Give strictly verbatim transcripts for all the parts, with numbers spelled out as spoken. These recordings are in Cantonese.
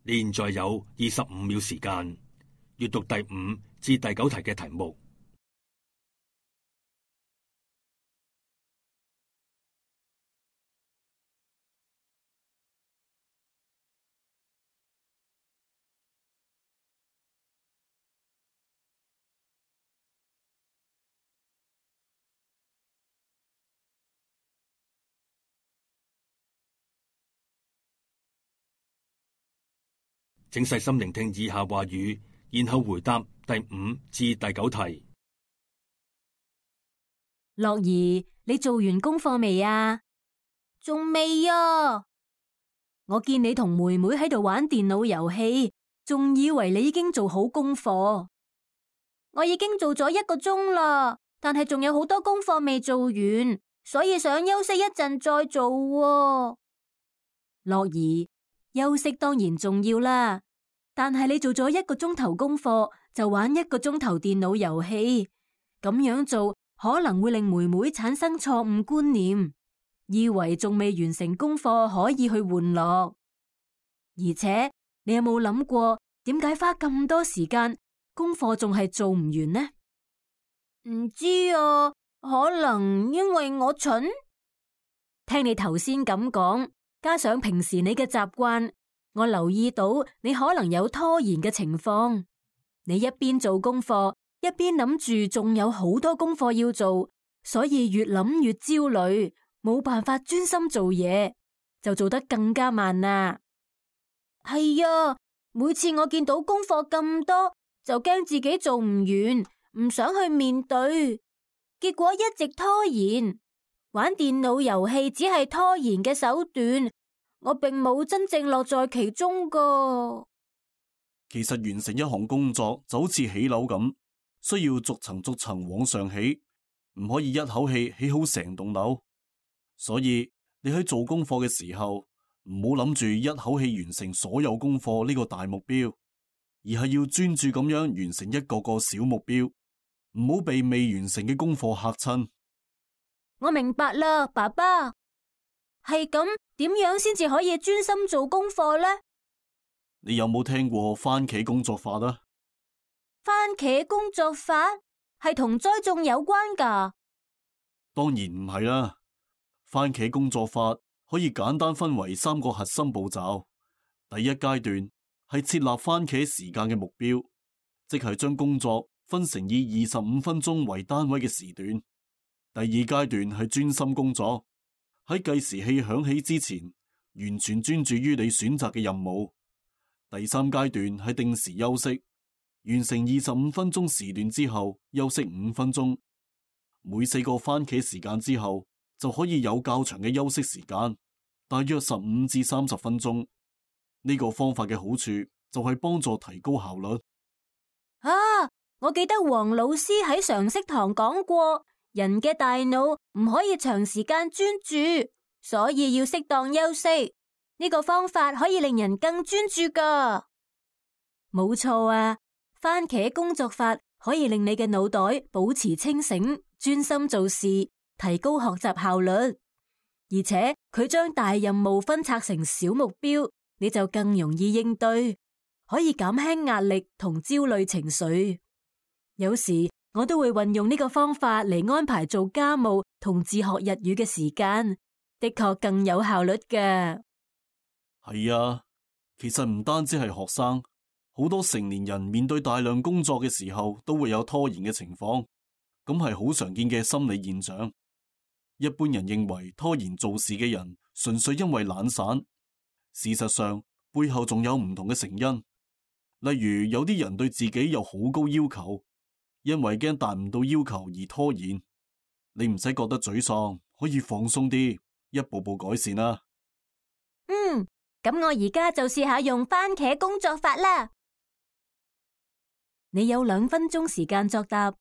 你現在有二十五秒時間閱讀第五至第九題嘅題目。請細心聆聽以下話語，然後回答第五至第九題。樂兒，你做完功課未啊？仲未啊！我見你同妹妹喺度玩電腦遊戲，仲以為你已經做好功課。我已經做咗一個鐘啦，但係仲有好多功課未做完，所以想休息一陣再做喎。樂兒，休息當然重要啦，但係你做咗一個鐘頭功課，就玩一個鐘頭電腦遊戲，咁樣做可能會令妹妹產生錯誤觀念，以為仲未完成功課可以去玩樂。而且你有冇諗過點解花咁多時間功課仲係做唔完呢？唔知啊，可能因為我蠢。聽你頭先咁講，加上平時你嘅習慣，我留意到你可能有拖延嘅情況。你一邊做功課，一邊諗住仲有好多功課要做，所以越諗越焦慮，冇辦法專心做嘢，就做得更加慢啦。係啊，每次我見到功課咁多，就驚自己做唔完，唔想去面對，結果一直拖延。玩電腦遊戲只係拖延嘅手段，我並冇真正樂在其中噶。其實完成一項工作就好似起樓咁，需要逐層逐層往上起，唔可以一口氣起好成棟樓。所以你喺做功課嘅時候，唔好諗住一口氣完成所有功課呢個大目標，而係要專注咁樣完成一個個小目標，唔好被未完成嘅功課嚇親。我明白啦，爸爸。係咁，點樣先至可以專心做功課呢？你有冇聽過番茄工作法啊？番茄工作法係同栽種有關噶？當然唔係啦。番茄工作法可以簡單分為三個核心步驟。第一階段係設立番茄時間嘅目標，即係將工作分成以二十五分鐘為單位嘅時段。第二階段係專心工作，喺計時器響起之前，完全專注於你選擇嘅任務。第三階段係定時休息，完成二十五分鐘時段之後，休息五分鐘。每四個番茄時間之後，就可以有較長嘅休息時間，大約十五至三十分鐘。呢個方法嘅好處就係幫助提高效率。啊，我記得黃老師喺常識堂講過，人嘅大腦唔可以長時間專注，所以要適當休息。呢個方法可以令人更專注噶。冇錯啊，番茄工作法可以令你嘅腦袋保持清醒，專心做事，提高學習效率。而且佢將大任務分拆成小目標，你就更容易應對，可以減輕壓力同焦慮情緒。有時我都會運用呢個方法嚟安排做家務同自學日語嘅時間，的確更有效率嘅。係啊，其實唔單止係學生，好多成年人面對大量工作嘅時候都會有拖延嘅情況，咁係好常見嘅心理現象。一般人認為拖延做事嘅人純粹因為懶散，事實上背後仲有唔同嘅成因。例如有啲人對自己有好高要求，因為驚達唔到要求而拖延。你唔使覺得沮喪，可以放鬆啲，一步步改善啦。嗯，咁我而家就試下用番茄工作法啦。你有兩分鐘時間作答。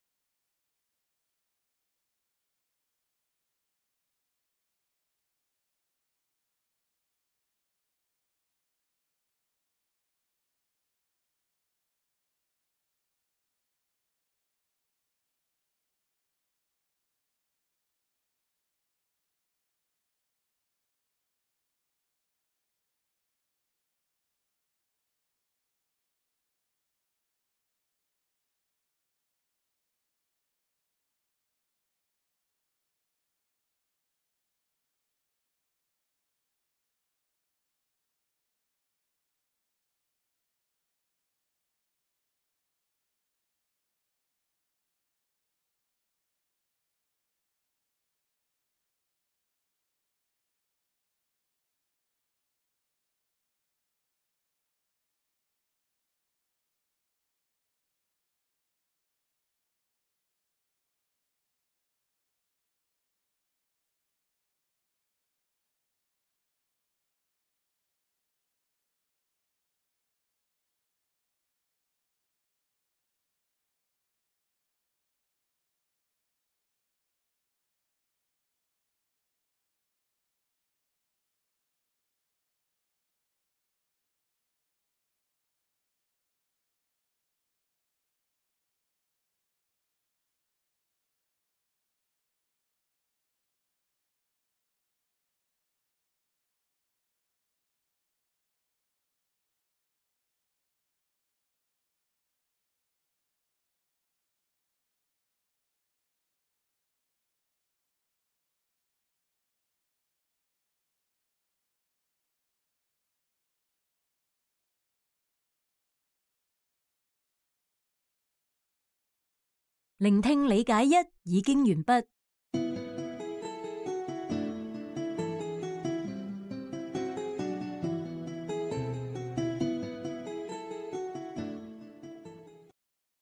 聆聽理解一已經完畢。